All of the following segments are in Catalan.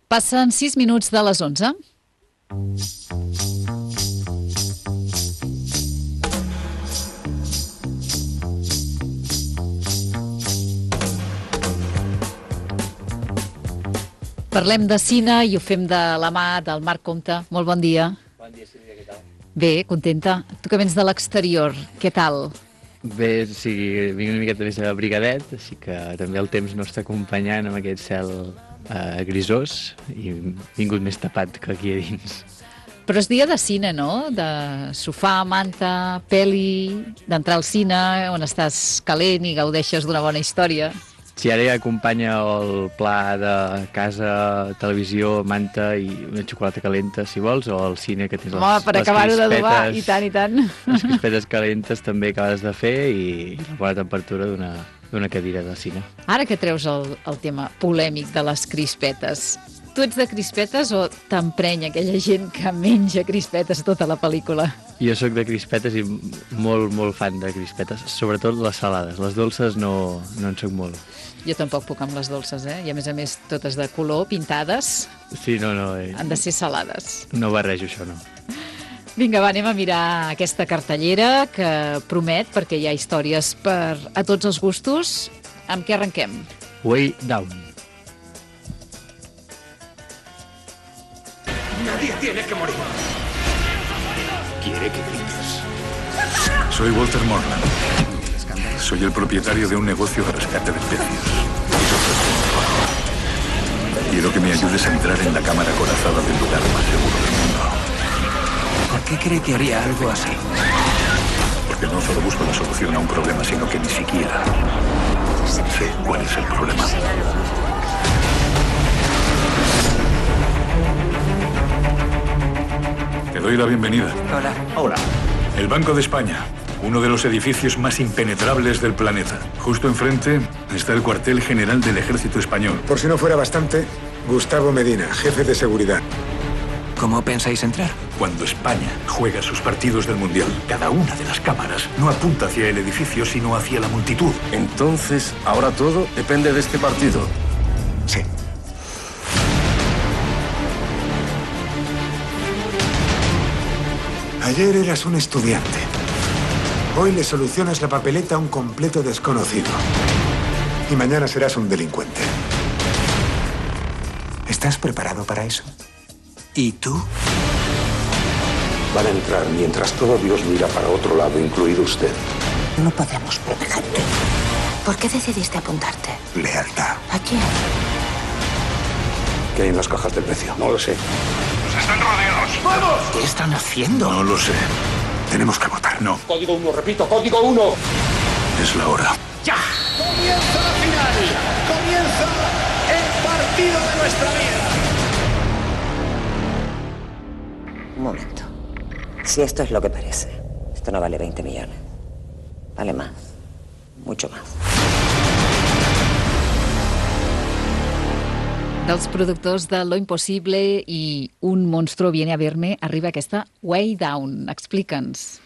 Passen 6 minuts de les 11. Parlem de cine i ho fem de la mà del Marc Compte. Molt bon dia. Bon dia, Sílvia, què tal? Bé, contenta. Tu que vens de l'exterior, què tal? Bé, sí, vinc una miqueta més abrigadet, així que també el temps no està acompanyant amb aquest cel grisós i vingut més tapat que aquí a dins. Però és dia de cine, no? De sofà, manta, peli, d'entrar al cine, on estàs calent i gaudeixes d'una bona història. Si ara ja acompanya el pla de casa, televisió, manta i una xocolata calenta, si vols, o el cine que tens per acabar-ho d'adobar, i tant, i tant. Les crispetes calentes també acabes de fer i la bona temperatura d'una cadira de cine. Ara que treus el tema polèmic de les crispetes, tu ets de crispetes o t'emprenya aquella gent que menja crispetes tota la pel·lícula? Jo sóc de crispetes i molt, molt fan de crispetes, sobretot les salades. Les dolces no en sóc molt. Jo tampoc puc amb les dolces, I a més totes de color, pintades. Sí, no. Han de ser salades. No barrejo això, no. Vinga, va, anem a mirar aquesta cartellera que promet, perquè hi ha històries per a tots els gustos. Amb què arrenquem? Way Down. Nadie tiene que morir. Quiere que grites. Soy Walter Morland. Soy el propietario de un negocio de rescate de especies. Quiero que me ayudes a entrar en la cámara acorazada del lugar más seguro del mundo. ¿Por qué cree que haría algo así? Porque no solo busco la solución a un problema, sino que ni siquiera sé cuál es el problema. Te doy la bienvenida. Hola. Hola. El Banco de España, uno de los edificios más impenetrables del planeta. Justo enfrente está el cuartel general del Ejército Español. Por si no fuera bastante, Gustavo Medina, jefe de seguridad. ¿Cómo pensáis entrar? Cuando España juega sus partidos del Mundial, cada una de las cámaras no apunta hacia el edificio, sino hacia la multitud. Entonces, ahora todo depende de este partido. Sí. Ayer eras un estudiante. Hoy le solucionas la papeleta a un completo desconocido. Y mañana serás un delincuente. ¿Estás preparado para eso? ¿Y tú? Van a entrar mientras todo Dios mira para otro lado, incluido usted. No podemos protegerte. ¿Por qué decidiste apuntarte? Lealtad. ¿A quién? ¿Qué hay en las cajas del precio? No lo sé. ¡Están rodeados! ¡Vamos! ¿Qué están haciendo? No lo sé. Tenemos que votar. No. Código 1, repito, código 1. Es la hora. ¡Ya! Comienza la final. Comienza el partido de nuestra vida. Un momento. Si esto es lo que parece, esto no vale 20 millones. Vale más. Mucho más. Dels productors de Lo Impossible i Un monstruo viene a verme arriba aquesta Way Down. Explica'ns.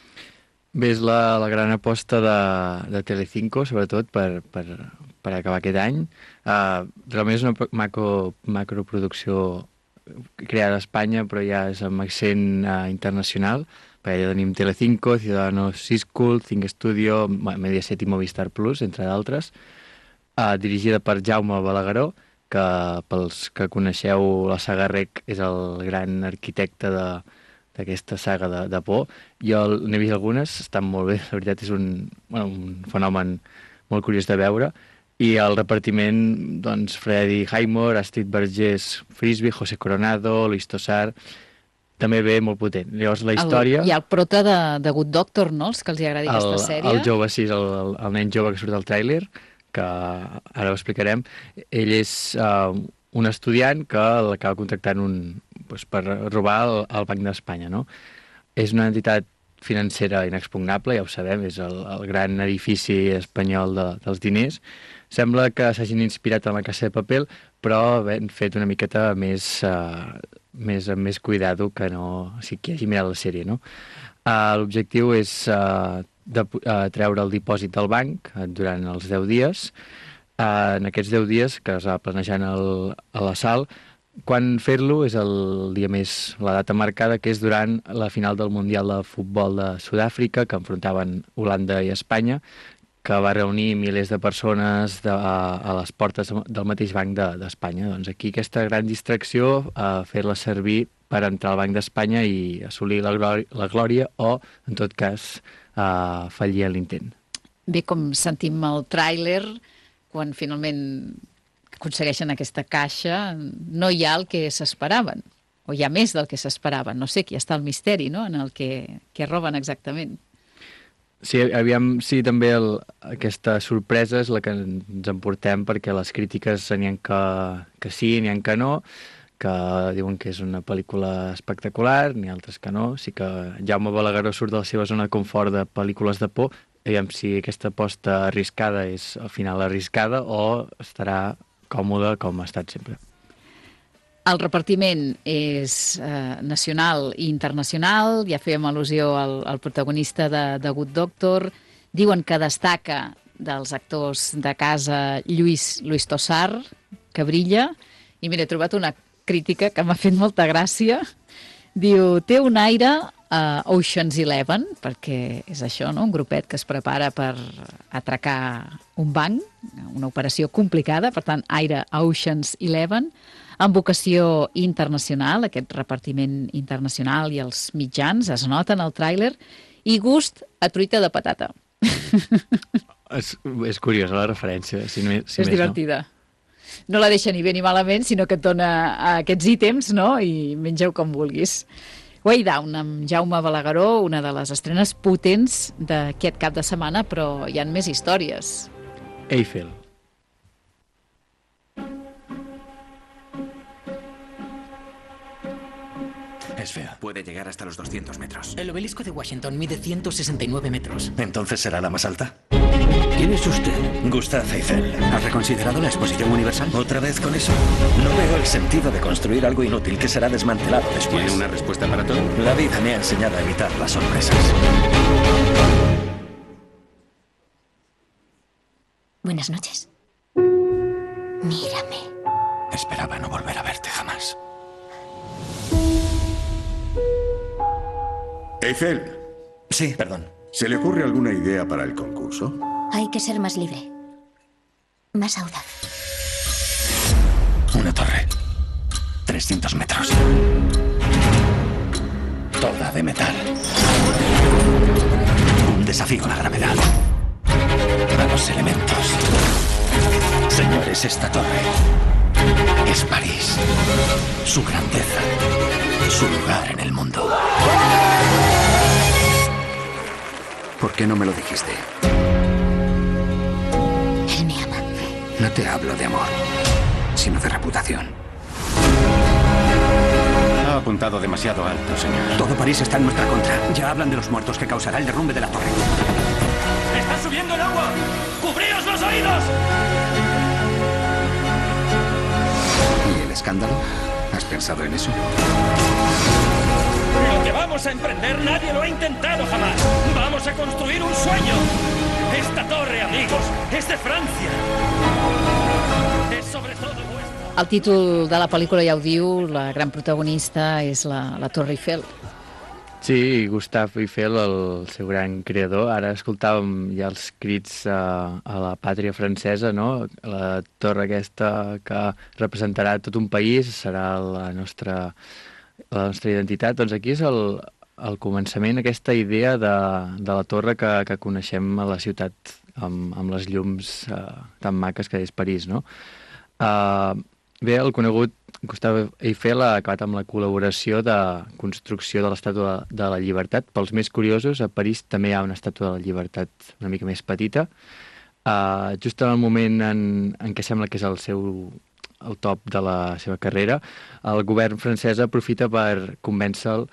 Bé, és la gran aposta de Telecinco, sobretot per acabar aquest any. Realment és una macroproducció creada a Espanya, però ja és amb accent internacional, perquè ja tenim Telecinco, Ciudadanos Siscul, Cinc Studio, Mediaset i Movistar Plus, entre d'altres, dirigida per Jaume Balagueró, que pels que coneixeu la saga Rec és el gran arquitecte d'aquesta saga de por. Jo n'he vist algunes, estan molt bé, la veritat és un fenomen molt curiós de veure. I el repartiment, doncs, Freddie Highmore, Astrid Vergés Frisby, José Coronado, Luis Tosar, també ve molt potent. Llavors la història... Hi ha el prota de Good Doctor, no?, els que els agradi aquesta sèrie. El jove, sí, el nen jove que surt al tràiler, que ara ho explicarem. Ell és un estudiant que l'acaba contractant per robar el Banc d'Espanya, no? És una entitat financera inexpugnable, ja ho sabem, és el gran edifici espanyol dels diners. Sembla que s'hagin inspirat en La Casa de Papel, però han fet una miqueta més cuidado que no... O sigui, que hagi mirat la sèrie, no? L'objectiu és treure el dipòsit del banc durant els 10 dies en aquests 10 dies que es va planejant a l'assalt, quan fer-lo és el dia més, la data marcada, que és durant la final del Mundial de Futbol de Sud-àfrica, que enfrontaven Holanda i Espanya, que va reunir milers de persones a les portes del mateix banc d'Espanya. Doncs aquí aquesta gran distracció, fer-la servir per entrar al Banc d'Espanya i assolir la glòria o, en tot cas, fallir en l'intent. Bé, com sentim el tràiler, quan finalment aconsegueixen aquesta caixa, no hi ha el que s'esperaven, o hi ha més del que s'esperaven. No sé, aquí està el misteri, no?, en el que roben exactament. Sí, aviam si també aquesta sorpresa és la que ens emportem, perquè les crítiques n'hi ha que sí, n'hi ha que no, que diuen que és una pel·lícula espectacular, n'hi ha altres que no. Sí que Jaume Balagueró surt de la seva zona de confort de pel·lícules de por, aviam si aquesta aposta arriscada és al final arriscada o estarà còmode com ha estat sempre. El repartiment és nacional i internacional, ja fèiem al·lusió al protagonista de Good Doctor, diuen que destaca dels actors de casa Luis Tosar, que brilla, i mira, he trobat una crítica que m'ha fet molta gràcia, diu, té un aire Ocean's 11, perquè és això, no?, un grupet que es prepara per atracar un banc, una operació complicada, per tant, aire Ocean's 11, amb vocació internacional, aquest repartiment internacional i els mitjans es noten al tràiler, i gust a truita de patata. És curiosa la referència, si és divertida. No la deixa ni bé ni malament, sinó que et dona aquests ítems, no?, i mengeu com vulguis. Way Down, amb Jaume Balagueró, una de les estrenes potents d'aquest cap de setmana, però hi ha més històries. Eiffel. Es fea. Puede llegar hasta los 200 metros. El obelisco de Washington mide 169 metros. ¿Entonces será la más alta? ¿Quién es usted? Gustav Eiffel. ¿Has reconsiderado la exposición universal? ¿Otra vez con eso? No veo el sentido de construir algo inútil que será desmantelado después. ¿Tiene una respuesta para todo? La vida me ha enseñado a evitar las sorpresas. Buenas noches. Mírame. Esperaba no volver a verte jamás. Eiffel. Sí, perdón. ¿Se le ocurre alguna idea para el concurso? Hay que ser más libre. Más audaz. Una torre. 300 metros. Toda de metal. Un desafío a la gravedad. A los elementos. Señores, esta torre es París. Su grandeza. Su lugar en el mundo. ¿Por qué no me lo dijiste? Él me ama. No te hablo de amor, sino de reputación. Ha apuntado demasiado alto, señor. Todo París está en nuestra contra. Ya hablan de los muertos que causará el derrumbe de la torre. ¡Está subiendo el agua! ¡Cubríos los oídos! ¿Y el escándalo? ¿Has pensado en eso? Lo que vamos a emprender nadie lo ha intentado jamás. Vamos a construir un sueño. Esta torre, amigos, es de Francia. Es sobre todo vuestra. El títol de la pel·lícula ja ho diu, la gran protagonista és la Torre Eiffel. Sí, Gustav Eiffel, el seu gran creador. Ara escoltàvem ja els crits a la pàtria francesa, no? La torre aquesta que representarà tot un país, serà la nostra identitat. Doncs aquí és el començament, aquesta idea de la torre que coneixem a la ciutat, amb les llums tan maques que és París, no? Bé, el conegut Gustav Eiffel ha acabat amb la col·laboració de construcció de l'Estàtua de la Llibertat. Pels més curiosos, a París també hi ha una Estàtua de la Llibertat una mica més petita. Just en el moment en què sembla que és el top de la seva carrera, el govern francès aprofita per convèncer-lo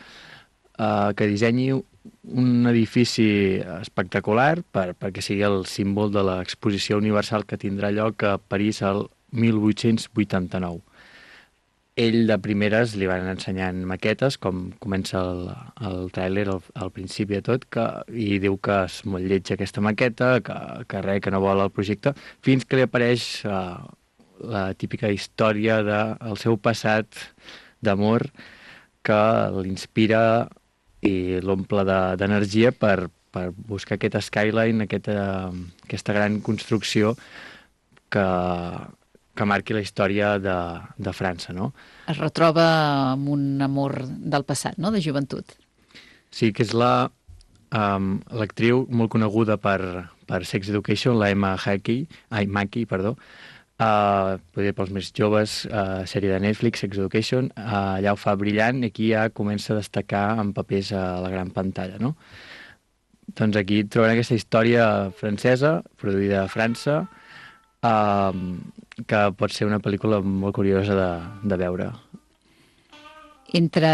que dissenyi un edifici espectacular perquè sigui el símbol de l'exposició universal que tindrà lloc a París el 1889. ell de primeres li van ensenyant maquetes, com comença el tràiler al principi de tot, i diu que és molt lleig aquesta maqueta, que no vol el projecte, fins que li apareix la típica història del seu passat d'amor que l'inspira i l'omple d'energia per buscar aquest skyline, aquesta gran construcció que marqui la història de França, no? Es retroba amb un amor del passat, no?, de joventut. Sí, que és l'actriu molt coneguda per Sex Education, la Emma Mackey, potser pels més joves, sèrie de Netflix, Sex Education, allà ho fa brillant i aquí ja comença a destacar en papers a la gran pantalla, no? Doncs aquí trobarem aquesta història francesa, produïda a França, que pot ser una pel·lícula molt curiosa de veure. Entre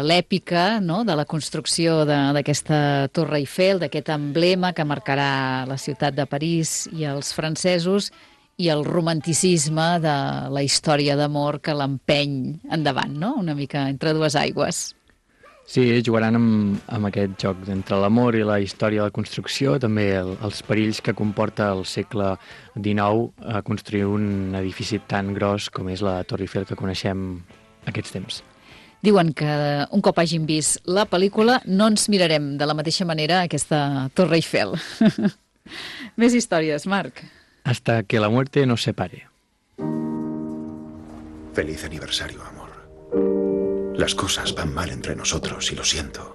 l'èpica, no?, de la construcció d'aquesta Torre Eiffel, d'aquest emblema que marcarà la ciutat de París i els francesos, i el romanticisme de la història d'amor que l'empeny endavant, no?, una mica entre dues aigües. Sí, jugaran amb aquest joc entre l'amor i la història de la construcció, també els perills que comporta el segle XIX construir un edifici tan gros com és la Torre Eiffel que coneixem aquests temps. Diuen que un cop hagin vist la pel·lícula no ens mirarem de la mateixa manera aquesta Torre Eiffel. Més històries, Marc. Hasta que la muerte nos separe. Feliz aniversario, amor. Las cosas van mal entre nosotros y lo siento.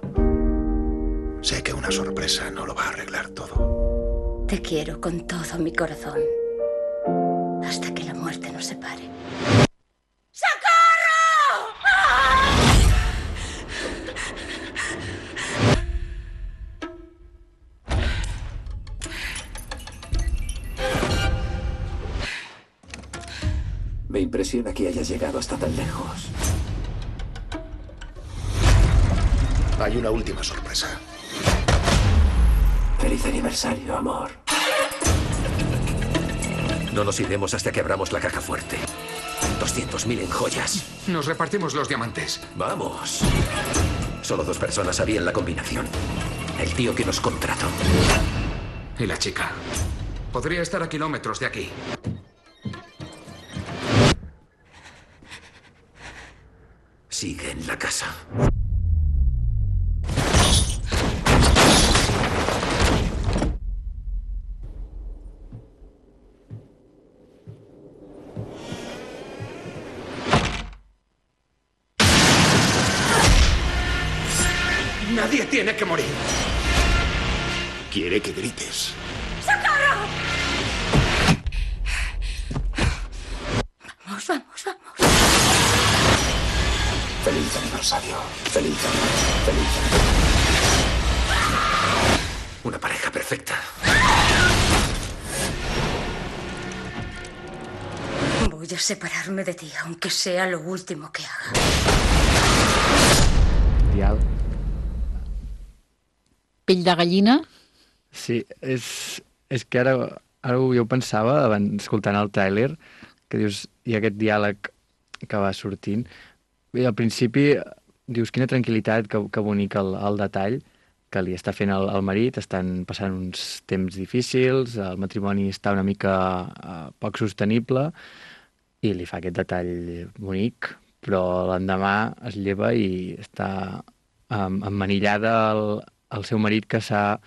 Sé que una sorpresa no lo va a arreglar todo. Te quiero con todo mi corazón. Hasta que la muerte nos separe. ¡Socorro! ¡Ah! Me impresiona que hayas llegado hasta tan lejos. Hay una última sorpresa. Feliz aniversario, amor. No nos iremos hasta que abramos la caja fuerte. 200.000 en joyas. Nos repartimos los diamantes. Vamos. Solo 2 personas sabían la combinación. El tío que nos contrató. Y la chica. Podría estar a kilómetros de aquí. Sigue en la casa. Nadie tiene que morir. Quiere que grites. ¡Socorro! Vamos, vamos, vamos. Feliz aniversario. Feliz aniversario. Feliz aniversario. Una pareja perfecta. Voy a separarme de ti, aunque sea lo último que haga. Dial. Pell de gallina? Sí, és que ara jo ho pensava, abans, escoltant el tràiler, que dius, hi ha aquest diàleg que va sortint. Bé, al principi dius, quina tranquil·litat, que bonic el detall que li està fent el marit, estan passant uns temps difícils, el matrimoni està una mica poc sostenible, i li fa aquest detall bonic, però l'endemà es lleva i està emmanillada el seu marit que s'ha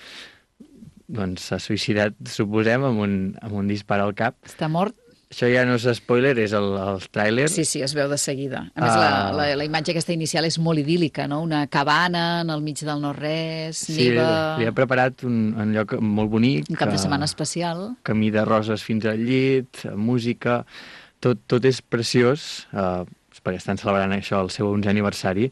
suïcidat, suposem, amb un dispar al cap. Està mort. Això ja no és spoiler, és el tràiler. Sí, es veu de seguida. A més, la imatge aquesta inicial és molt idíl·lica, no? Una cabana en el mig del no-res, neva... Sí, li ha preparat un lloc molt bonic. Un cap de setmana especial. Camí de roses fins al llit, música... Tot és preciós, perquè estan celebrant això, el seu 11è aniversari,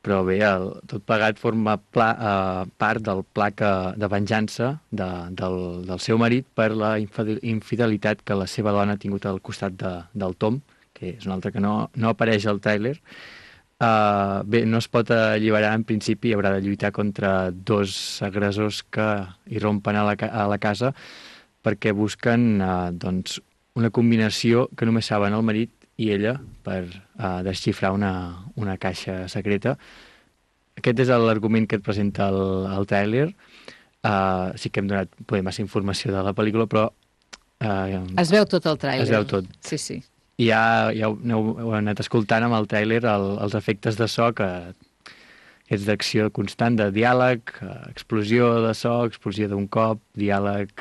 però bé, tot plegat forma part del pla de venjança del seu marit per la infidelitat que la seva dona ha tingut al costat del Tom, que és un altre que no apareix al tràiler. Bé, no es pot alliberar en principi, haurà de lluitar contra 2 agressors que irrompen a la casa perquè busquen una combinació que només saben el marit i ella per desxifrar una caixa secreta. Aquest és l'argument que et presenta el tràiler. Sí que hem donat massa informació de la pel·lícula, però... Es veu tot el tràiler. Es veu tot. Sí. I ja heu anat escoltant amb el tràiler els efectes de so que és d'acció constant, de diàleg, explosió de so, explosió d'un cop, diàleg,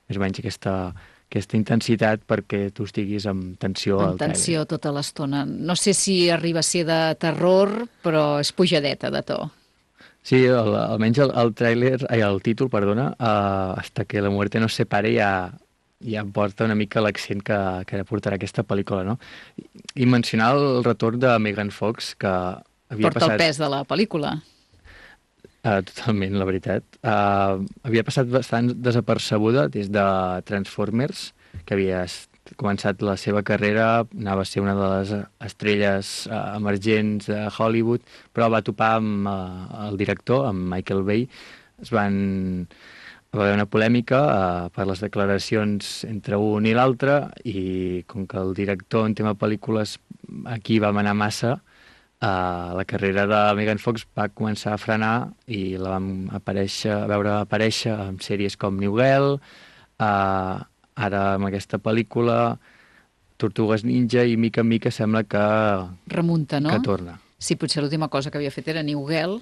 més o menys aquesta intensitat perquè tu estiguis amb tensió al tràiler. Amb tensió tota l'estona. No sé si arriba a ser de terror, però és pujadeta de to. Sí, almenys el títol, perdona, Hasta que la muerte nos separe ja porta una mica l'accent que portarà aquesta pel·lícula, no? I mencionar el retorn de Megan Fox, que havia porta el pes de la pel·lícula. Totalment, la veritat. Havia passat bastant desapercebuda des de Transformers, que havia començat la seva carrera, anava a ser una de les estrelles emergents de Hollywood, però va topar amb el director, amb Michael Bay. Va haver una polèmica per les declaracions entre un i l'altre, i com que el director en tema pel·lícules aquí va manar massa, la carrera de Megan Fox va començar a frenar i la vam veure aparèixer en sèries com New Girl, ara amb aquesta pel·lícula, Tortugues Ninja, i mica en mica sembla que... Remunta, no? Que torna. Sí, potser l'última cosa que havia fet era New Girl,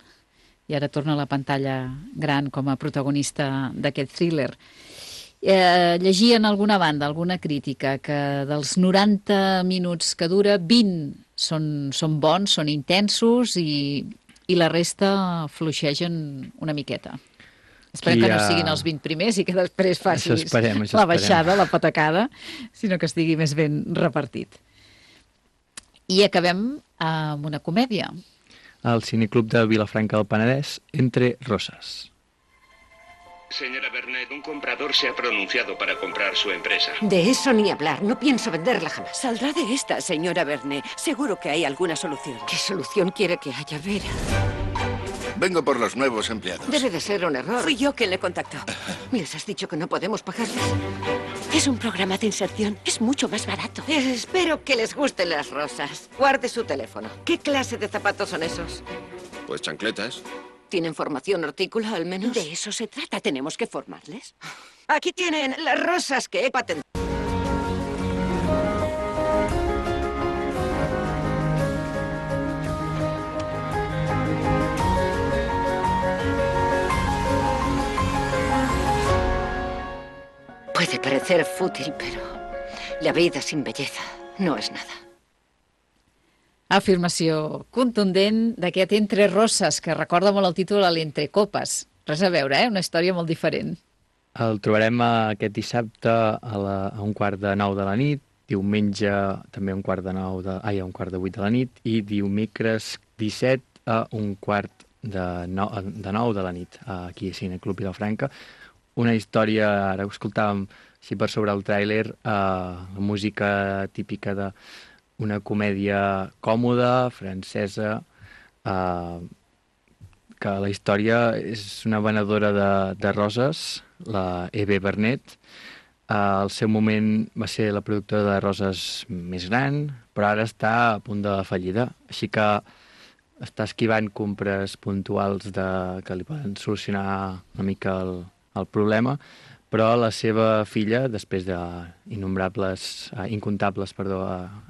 i ara torna a la pantalla gran com a protagonista d'aquest thriller. Llegia en alguna banda, alguna crítica, que dels 90 minuts que dura, 20 són bons, són intensos, i la resta fluixegen una miqueta. Esperem que no siguin els 20 primers i que després facis la baixada, la patacada, sinó que estigui més ben repartit. I acabem amb una comèdia. Al Cineclub de Vilafranca del Penedès, Entre Rosas. Señora Bernet, un comprador se ha pronunciado para comprar su empresa. De eso ni hablar, no pienso venderla jamás. Saldrá de esta, señora Bernet. Seguro que hay alguna solución. ¿Qué solución quiere que haya, Vera? Vengo por los nuevos empleados. Debe de ser un error. Fui yo quien le contactó. ¿Les has dicho que no podemos pagarles? Es un programa de inserción. Es mucho más barato. Espero que les gusten las rosas. Guarde su teléfono. ¿Qué clase de zapatos son esos? Pues chancletas. ¿Tienen formación hortícola, al menos? De eso se trata. Tenemos que formarles. Aquí tienen las rosas que he patentado. Puede parecer fútil, pero la vida sin belleza no es nada. Afirmació contundent d'aquest Entre Rosas, que recorda molt el títol a l'Entre Copes. Res a veure, una història molt diferent. El trobarem aquest dissabte a 8:45 de la nit, diumenge també a 8:45 de la nit, i dimecres 17 a 8:45 de la nit, aquí a Cineclub Vilafranca. Una història, ara ho escoltàvem així per sobre el tràiler, la música típica d'una comèdia còmoda, francesa, que la història és una venedora de roses, la Eve Bernet. Al seu moment va ser la productora de roses més gran, però ara està a punt de fallida, així que està esquivant compres puntuals que li poden solucionar una mica el problema, però la seva filla, després d'incontables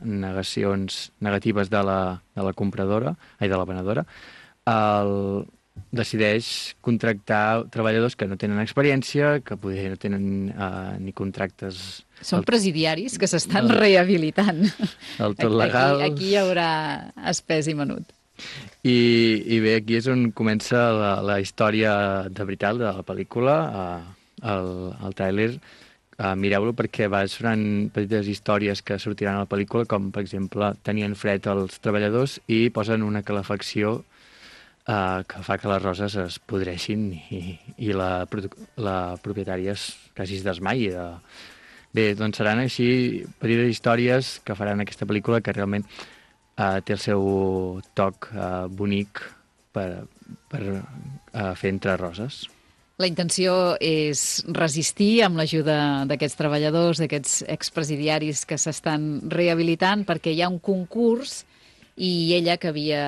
negacions negatives de la compradora, de la venedora, decideix contractar treballadors que no tenen experiència, que potser no tenen ni contractes... Són presidiaris que s'estan rehabilitant. Del tot legal. Aquí hi haurà espès i menut. I bé, aquí és on comença la història de veritat de la pel·lícula, el tràiler. Mireu-lo perquè va sonant petites històries que sortiran a la pel·lícula, com per exemple tenien fred els treballadors i posen una calefacció que fa que les roses es podreixin i la propietària quasi es desmaia. Bé, doncs seran així petites històries que faran aquesta pel·lícula, que realment té el seu toc bonic per fer Entre Roses. La intenció és resistir amb l'ajuda d'aquests treballadors, d'aquests expresidiaris que s'estan rehabilitant, perquè hi ha un concurs i ella, que havia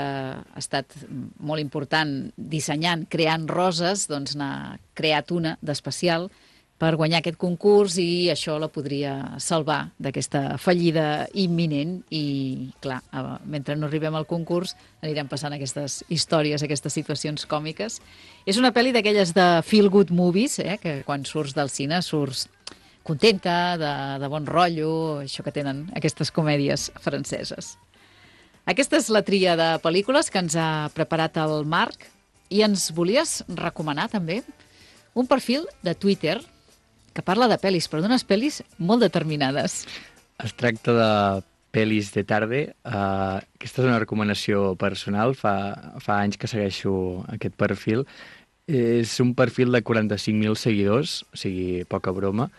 estat molt important dissenyant, creant roses, doncs n'ha creat una d'especial per guanyar aquest concurs i això la podria salvar d'aquesta fallida imminent i, clar, mentre no arribem al concurs anirem passant aquestes històries, aquestes situacions còmiques. És una pel·li d'aquelles de feel-good movies, que quan surts del cine surts contenta, de bon rotllo, això que tenen aquestes comèdies franceses. Aquesta és la tria de pel·lícules que ens ha preparat el Marc i ens volies recomanar també un perfil de Twitter que parla de pel·lis, però d'unes pel·lis molt determinades. Es tracta de pel·lis de tarda. Aquesta és una recomanació personal. Fa anys que segueixo aquest perfil. És un perfil de 45.000 seguidors, o sigui, poca broma.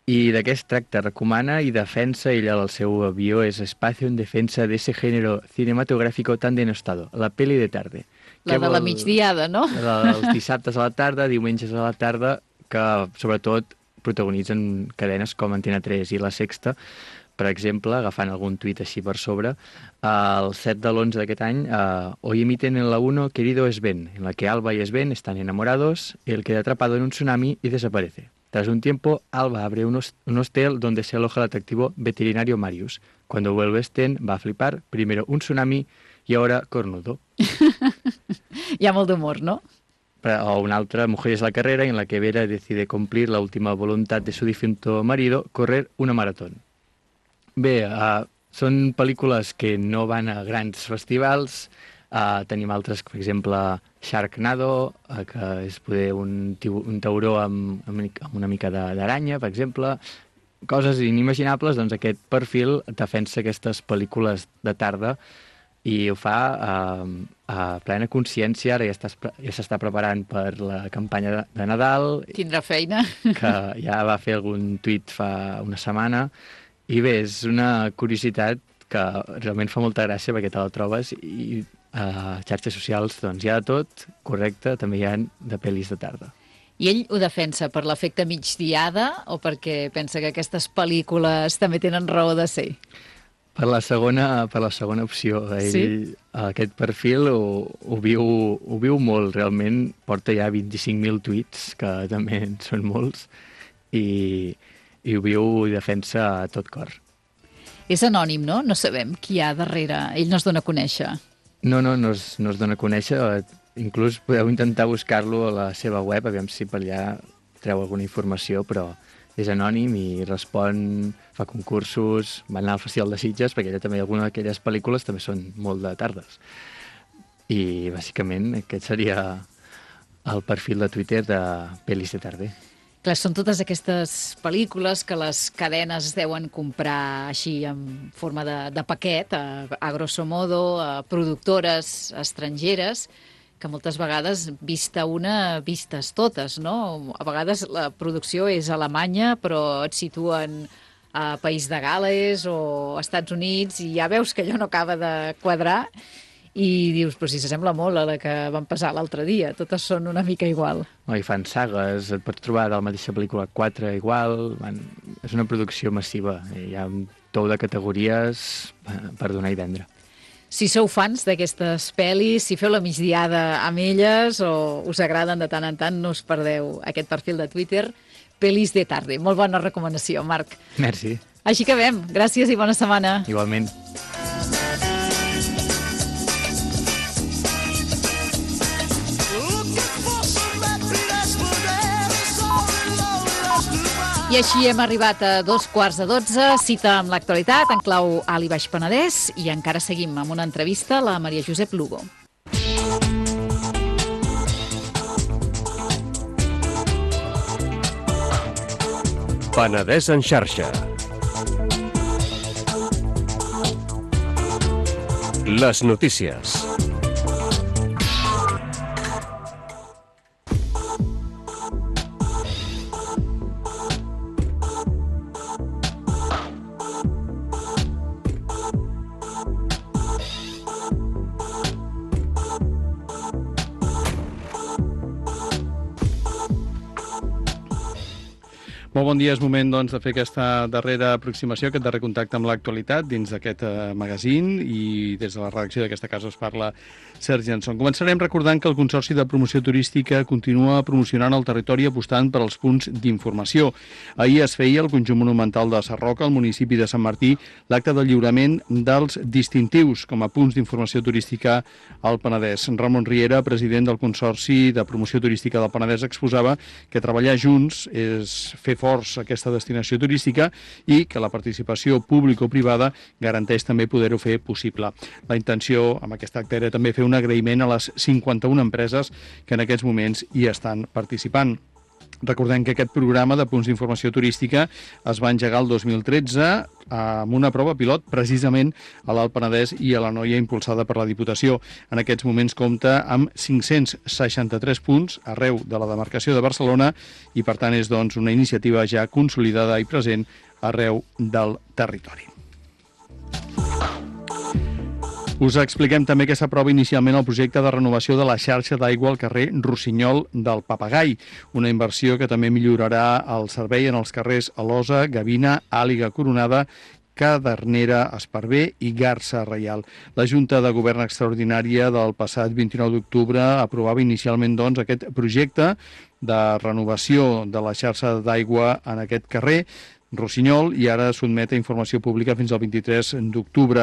I de què es tracta? Recomana i defensa, ella el seu avió és Espacio en defensa de ese género cinematográfico tan denostado, la pel·li de tarda. La de la migdiada, no? Els dissabtes a la tarda, diumenges a la tarda, que sobretot protagonitzen cadenes com Antena 3 i La Sexta, per exemple, agafant algun tuit així per sobre, el 7 de l'11 d'aquest any, hoy emiten en la 1 Querido Sven, en la que Alba y Sven están enamorados, él queda atrapado en un tsunami y desaparece. Tras un tiempo, Alba abre un hostel donde se aloja el atractivo veterinario Marius. Cuando vuelve Sven, va a flipar, primero un tsunami y ahora cornudo. Hi ha molt d'humor, no? O una altra, Mujeres a la carrera, en la que Vera decide cumplir la última voluntad de su difunto marido, correr una maratón. Bé, són pel·lícules que no van a grans festivals. Tenim altres, per exemple, Sharknado, que és poder un tauró amb una mica d'aranya, per exemple. Coses inimaginables, doncs aquest perfil defensa aquestes pel·lícules de tarda i ho fa a plena consciència. Ara ja s'està preparant per la campanya de Nadal. Tindrà feina. Que ja va fer algun tuit fa una setmana. I bé, és una curiositat que realment fa molta gràcia perquè te la trobes i a xarxes socials doncs hi ha de tot, correcte, també hi ha de pel·lis de tarda. I ell ho defensa per l'efecte migdiada o perquè pensa que aquestes pel·lícules també tenen raó de ser? Per la segona opció. Ell, aquest perfil ho viu molt, realment. Porta ja 25.000 tuits, que també en són molts, i ho viu i defensa a tot cor. És anònim, no? No sabem qui hi ha darrere. Ell no es dona a conèixer. No es dona a conèixer. Inclús podeu intentar buscar-lo a la seva web, aviam si per allà treu alguna informació, però és anònim i respon, fa concursos, va anar al Festival de Sitges, perquè allà també alguna d'aquelles pel·lícules també són molt de tardes. I, bàsicament, aquest seria el perfil de Twitter de pel·lis de tarda. Clar, són totes aquestes pel·lícules que les cadenes deuen comprar així en forma de paquet, a grosso modo, a productores estrangeres, que moltes vegades, vista una, vistes totes, no? A vegades la producció és alemanya, però et situen a País de Gales o a Estats Units i ja veus que allò no acaba de quadrar i dius, però si s'assembla molt a la que van passar l'altre dia, totes són una mica igual. I fan sagues, et pots trobar de la mateixa pel·lícula 4 igual, és una producció massiva, hi ha un tou de categories per donar i vendre. Si sou fans d'aquestes pel·lis, si feu la migdiada amb elles o us agraden de tant en tant, no us perdeu aquest perfil de Twitter, Pel·lis de tarda. Molt bona recomanació, Marc. Merci. Així que acabem. Gràcies i bona setmana. Igualment. I així hem arribat a 12:15, cita amb l'actualitat en clau Alt i Baix Penedès, i encara seguim amb una entrevista a la Maria Josep Lugo. Penedès en xarxa. Les notícies. Molt bon dia, és moment doncs, de fer aquesta darrera aproximació, aquest darrer contacte amb l'actualitat dins d'aquest magazín, i des de la redacció d'aquesta casa us parla Sergi Anson. Començarem recordant que el Consorci de Promoció Turística continua promocionant el territori apostant per als punts d'informació. Ahir es feia al Conjunt Monumental de Sarroca, al municipi de Sant Martí, l'acte de lliurament dels distintius com a punts d'informació turística al Penedès. Ramon Riera, president del Consorci de Promoció Turística del Penedès, exposava que treballar junts és fer forts aquesta destinació turística i que la participació público-privada garanteix també poder-ho fer possible. La intenció amb aquest acte era també fer un agraïment a les 51 empreses que en aquests moments hi estan participant. Recordem que aquest programa de punts d'informació turística es va engegar el 2013 amb una prova pilot precisament a l'Alt Penedès i a l'Anoia, impulsada per la Diputació. En aquests moments compta amb 563 punts arreu de la demarcació de Barcelona i, per tant, és doncs una iniciativa ja consolidada i present arreu del territori. Us expliquem també que s'aprova inicialment el projecte de renovació de la xarxa d'aigua al carrer Rossinyol del Papagai, una inversió que també millorarà el servei en els carrers Alosa, Gavina, Àliga Coronada, Cadernera, Esparver i Garça Reial. La Junta de Govern Extraordinària del passat 29 d'octubre aprovava inicialment doncs, aquest projecte de renovació de la xarxa d'aigua en aquest carrer Rossinyol, i ara sotmet a informació pública fins al 23 d'octubre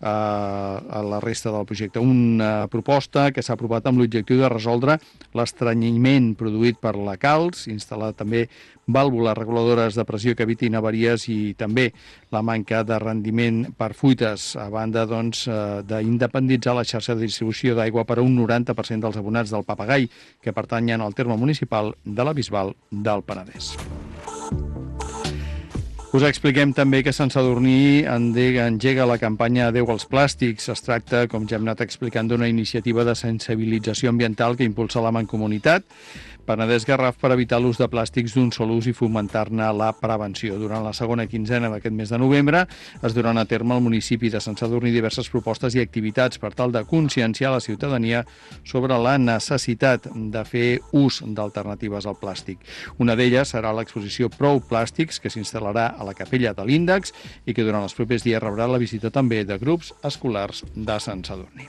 a la resta del projecte. Una proposta que s'ha aprovat amb l'objectiu de resoldre l'estrenyiment produït per la calç, instal·lar també vàlvules reguladores de pressió que evitin avaries i també la manca de rendiment per fuites, a banda doncs, d'independitzar la xarxa de distribució d'aigua per a un 90% dels abonats del Papagai, que pertanyen al terme municipal de la Bisbal del Penedès. Us expliquem també que Sant Sadurní engega la campanya Adeu als plàstics. Es tracta, com ja hem anat explicant, d'una iniciativa de sensibilització ambiental que impulsa la Mancomunitat Penedès Garraf per evitar l'ús de plàstics d'un sol ús i fomentar-ne la prevenció. Durant la segona quinzena d'aquest mes de novembre es duran a terme al municipi de Sant Sadurní diverses propostes i activitats per tal de conscienciar la ciutadania sobre la necessitat de fer ús d'alternatives al plàstic. Una d'elles serà l'exposició Prou Plàstics, que s'instal·larà a la Capella de l'Índex i que durant els propers dies rebrà la visita també de grups escolars de Sant Sadurní.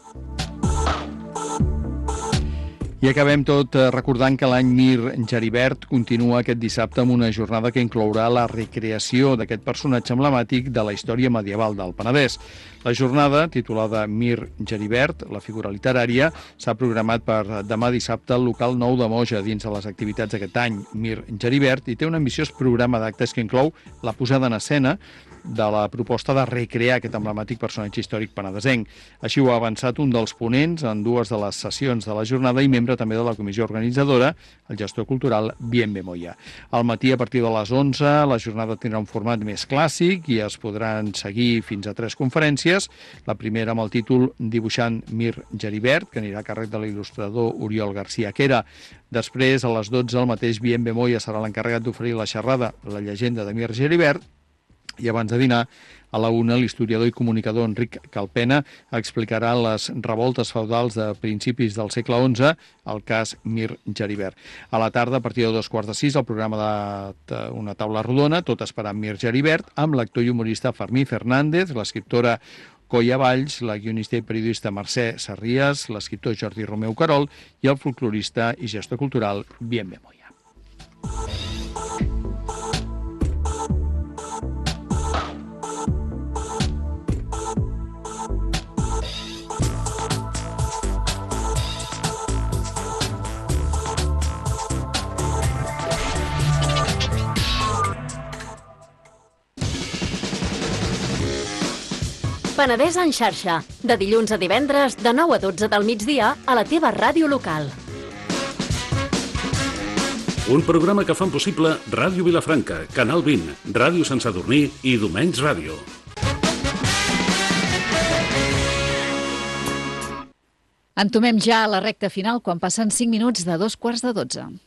I acabem tot recordant que l'any Mir Geribert continua aquest dissabte amb una jornada que inclourà la recreació d'aquest personatge emblemàtic de la història medieval del Penedès. La jornada, titulada Mir Geribert, la figura literària, s'ha programat per demà dissabte al local 9 de Moja dins de les activitats d'aquest any. Mir Geribert i té un ambiciós programa d'actes que inclou la posada en escena de la proposta de recrear aquest emblemàtic personatge històric penedesenc. Així ho ha avançat un dels ponents en dues de les sessions de la jornada i membre també de la comissió organitzadora, el gestor cultural Bienve Moya. Al matí, a partir de les 11, la jornada tindrà un format més clàssic i es podran seguir fins a 3 conferències. La primera amb el títol Dibuixant Mir Geribert, que anirà a càrrec de l'il·lustrador Oriol García Quera. Després, a les 12, el mateix Bienve Moya serà l'encarregat d'oferir la xerrada La llegenda de Mir Geribert, i abans de dinar, a la 1, l'historiador i comunicador Enric Calpena explicarà les revoltes feudals de principis del segle XI, el cas Mir Geribert. A la tarda, a partir de 2:15, el programa d'una taula rodona, tot esperant Mir Geribert, amb l'actor i humorista Fermí Fernández, l'escriptora Coia Valls, la guionista i periodista Mercè Sarries, l'escriptor Jordi Romeu Carol i el folclorista i gestor cultural Bienve Moya. Penedès en xarxa, de dilluns a divendres, de 9 a 12 del migdia, a la teva ràdio local. Un programa que fan possible Ràdio Vilafranca, Canal 20, Ràdio Sant Sadurní i Domenys Ràdio. Entomem ja a la recta final quan passen 5 minuts de 2:15.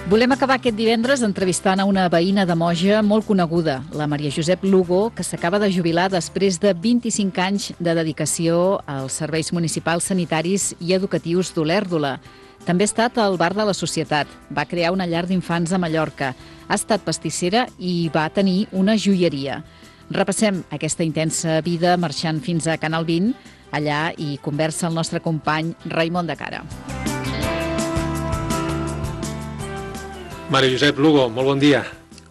Volem acabar aquest divendres entrevistant a una veïna de Moja molt coneguda, la Maria Josep Lugo, que s'acaba de jubilar després de 25 anys de dedicació als serveis municipals sanitaris i educatius d'Olèrdola. També ha estat al Bar de la Societat, va crear una llar d'infants a Mallorca, ha estat pastissera i va tenir una joieria. Repassem aquesta intensa vida marxant fins a Canal 20. Allà hi conversa el nostre company Raimon de Cara. Maria Josep Lugo, molt bon dia.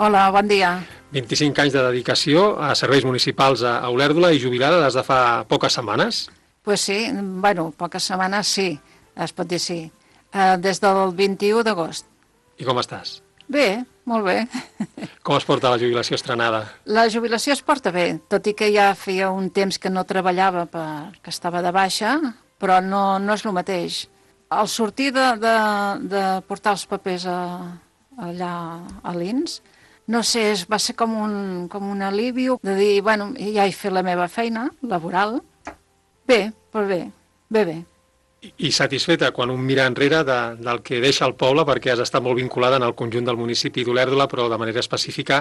Hola, bon dia. 25 anys de dedicació a serveis municipals a Olèrdola i jubilada des de fa poques setmanes. Pues sí, bueno, poques setmanes sí, es pot dir sí. Des del 21 d'agost. I com estàs? Bé, molt bé. Com es porta la jubilació estrenada? La jubilació es porta bé, tot i que ja feia un temps que no treballava perquè estava de baixa, però no és el mateix. Al sortir de portar els papers allà a l'INS, no sé, va ser com un alivi de dir, bueno, ja he fet la meva feina laboral. Bé, però bé. I satisfeta quan un mira enrere del que deixa el poble, perquè has estat molt vinculada en el conjunt del municipi d'Olèrdola, però de manera específica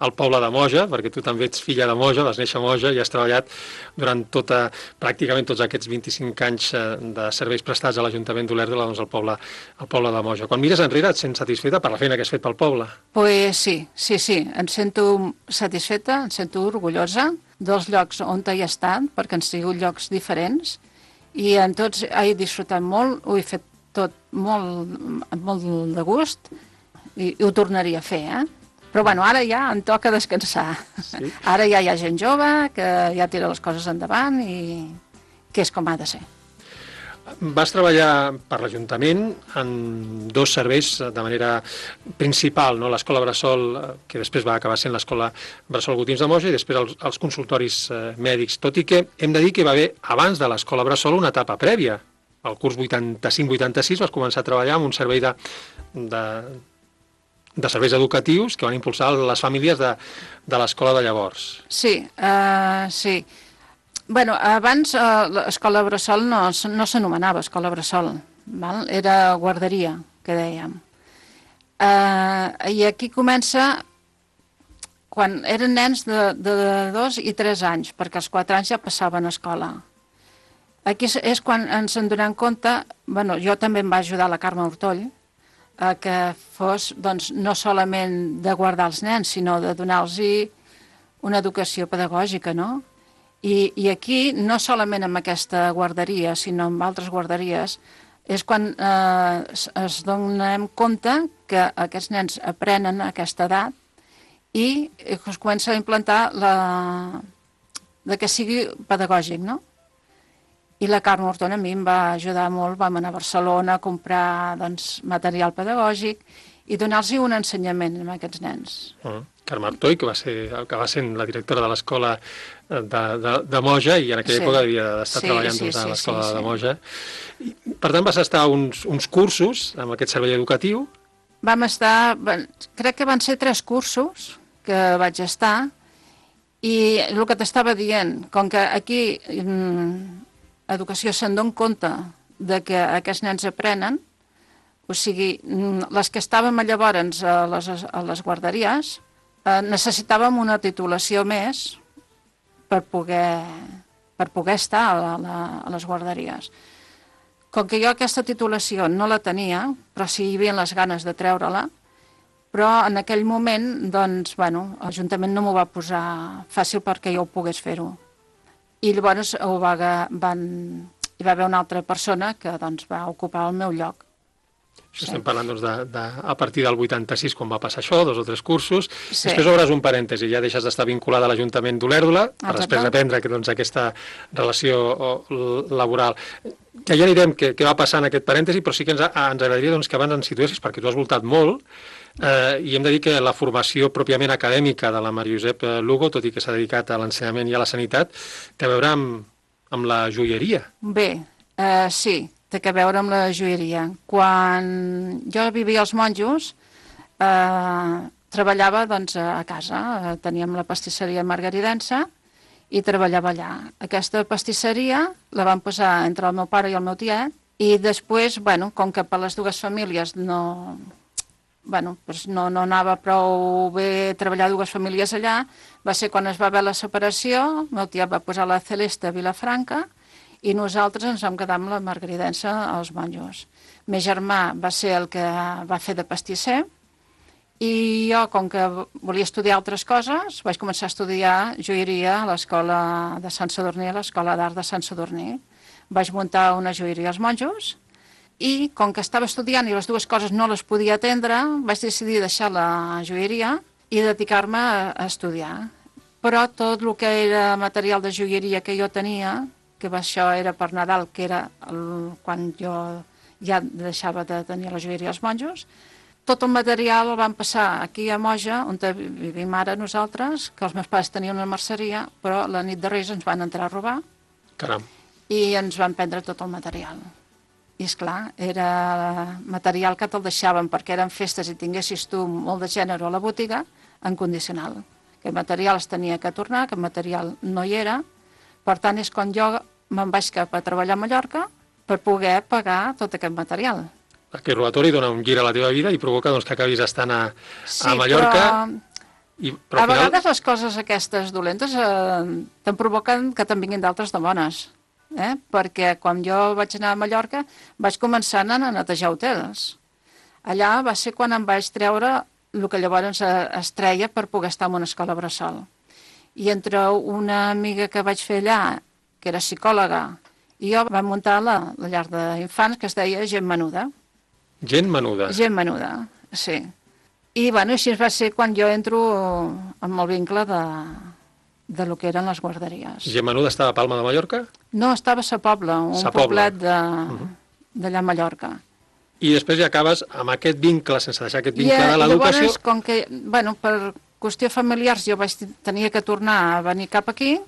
al poble de Moja, perquè tu també ets filla de Moja, vas néixer a Moja i has treballat durant pràcticament tots aquests 25 anys de serveis prestats a l'Ajuntament d'Olèrdola, doncs al poble de Moja. Quan mires enrere et sents satisfeta per la feina que has fet pel poble? Pues sí, em sento satisfeta, em sento orgullosa dels llocs on he estat, perquè han sigut llocs diferents, i en tots he disfrutat molt, ho he fet tot molt de gust i ho tornaria a fer, Però bueno, ara ja em toca descansar. Sí? Ara ja hi ha gent jove que ja tira les coses endavant i que és com ha de ser. Vas treballar per l'Ajuntament en dos serveis de manera principal, no? L'Escola Bressol, que després va acabar sent l'Escola Bressol Gotins de Moja, i després els consultoris mèdics, tot i que hem de dir que hi va haver, abans de l'Escola Bressol, una etapa prèvia. Al curs 85-86 vas començar a treballar en un servei de serveis educatius que van impulsar les famílies de l'escola de llavors. Sí, sí. Bueno, abans l'escola Bressol no s'anomenava escola Bressol, val? Era guarderia, que dèiem. I aquí comença quan eren nens de 2 i 3 anys, perquè als 4 anys ja passaven a escola. Aquí és quan ens en donem compte, bueno, jo també em va ajudar la Carme Hortoll, que fos doncs, no solament de guardar els nens, sinó de donar-los una educació pedagògica, no? I aquí, no solament amb aquesta guarderia, sinó amb altres guarderies, és quan es donem compte que aquests nens aprenen a aquesta edat i es comença a implantar que sigui pedagògic, no? I la Carme Hortón a mi em va ajudar molt, vam anar a Barcelona a comprar material pedagògic i donar-los un ensenyament a aquests nens. Carme Hortón, que va ser la directora de l'escola de Moja i en aquella època havia d'estar treballant a l'escola de Moja. Per tant, vas estar uns cursos amb aquest servei educatiu? Vam estar, crec que van ser 3 cursos que vaig estar i el que t'estava dient, com que aquí educació se'n dona compte de que aquests nens aprenen, o sigui, les que estàvem llavors a les guarderies, necessitàvem una titulació més per poder estar a les guarderies. Com que jo aquesta titulació no la tenia, però sí hi havia les ganes de treure-la, però en aquell moment, doncs, bueno, l'Ajuntament no m'ho va posar fàcil perquè jo ho pogués fer-ho. I llavors hi va haver una altra persona que doncs, va ocupar el meu lloc. Això estem parlant a partir del 86, quan va passar això, 2 o 3 cursos. Després obres un parèntesi, ja deixes d'estar vinculada a l'Ajuntament d'Olèrdola per després aprendre aquesta relació laboral. Ja anirem què va passar en aquest parèntesi, però sí que ens agradaria que abans ens situessis, perquè tu has voltat molt, i hem de dir que la formació pròpiament acadèmica de la Maria Josep Lugo, tot i que s'ha dedicat a l'ensenyament i a la sanitat, té a veure amb la joieria. Bé, sí, té a veure amb la joieria. Quan jo vivia als Monjos, treballava a casa, teníem la pastisseria margaridense i treballava allà. Aquesta pastisseria la van posar entre el meu pare i el meu tiet i després, com que per les dues famílies no doncs no anava prou bé treballar dues famílies allà. Va ser quan es va haver la separació, el meu tiet va posar la Celeste a Vilafranca i nosaltres ens vam quedar amb la Margaridense als Monjos. El meu germà va ser el que va fer de pastisser i jo, com que volia estudiar altres coses, vaig començar a estudiar joieria a l'escola de Sant Sadurní, a l'escola d'art de Sant Sadurní. Vaig muntar una joieria als Monjos i, com que estava estudiant i les dues coses no les podia atendre, vaig decidir deixar la joieria i dedicar-me a estudiar. Però tot el que era material de joieria que jo tenia, que això era per Nadal, que era quan jo ja deixava de tenir la joieria als Monjos, tot el material el vam passar aquí a Moja, on vivim ara nosaltres, que els meus pares tenien una merceria, però la nit de Reis ens van entrar a robar. Caram. I ens van prendre tot el material. I, esclar, era material que te'l deixaven perquè eren festes i tinguessis tu molt de gènere a la botiga, en condicional. Aquest material es tenia que tornar, aquest material no hi era. Per tant, és quan jo me'n vaig cap a treballar a Mallorca per poder pagar tot aquest material. Aquest robatori dona un gir a la teva vida i provoca que acabis estant a Mallorca. Però a vegades les coses aquestes dolentes te'n provoquen que te'n vinguin d'altres de bones. Perquè quan jo vaig anar a Mallorca vaig començar anant a netejar hotels. Allà va ser quan em vaig treure el que llavors es treia per poder estar en una escola bressol. I entre una amiga que vaig fer allà, que era psicòloga, i jo vam muntar la llar d'infants que es deia Gent Menuda. Gent Menuda? Gent Menuda, sí. I així va ser quan jo entro amb el vincle de lo que eren les guarderies. Gent Menuda estava a Palma de Mallorca? No, estava a Sa Pobla, un poblet d'allà a Mallorca. I després ja acabes amb aquest vincle, sense deixar aquest vincle de l'educació. I llavors, com que, per qüestió familiars, jo tenia que tornar a venir cap aquí,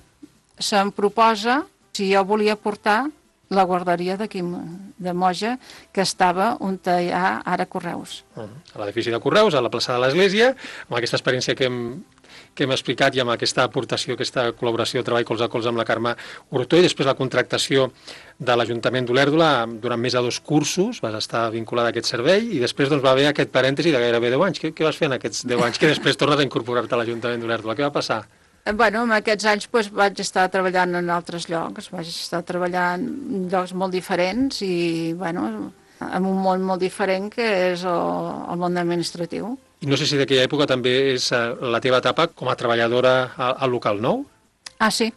se'm proposa si jo volia portar la guarderia d'aquí, de Moja, que estava on hi ha ara Correus. A l'edifici de Correus, a la plaça de l'Església, amb aquesta experiència que hem explicat i amb aquesta aportació, aquesta col·laboració, treball colze a colze amb la Carme Hurtó, i després la contractació de l'Ajuntament d'Olèrdola durant més de 2 cursos, vas estar vinculada a aquest servei, i després va haver aquest parèntesi de gairebé 10 anys. Què vas fer en aquests 10 anys que després tornes a incorporar-te a l'Ajuntament d'Olèrdola? Què va passar? En aquests anys vaig estar treballant en altres llocs, vaig estar treballant en llocs molt diferents i, en un món molt diferent que és el món administratiu. I no sé si d'aquella època també és la teva etapa com a treballadora al local nou? Ah, sí,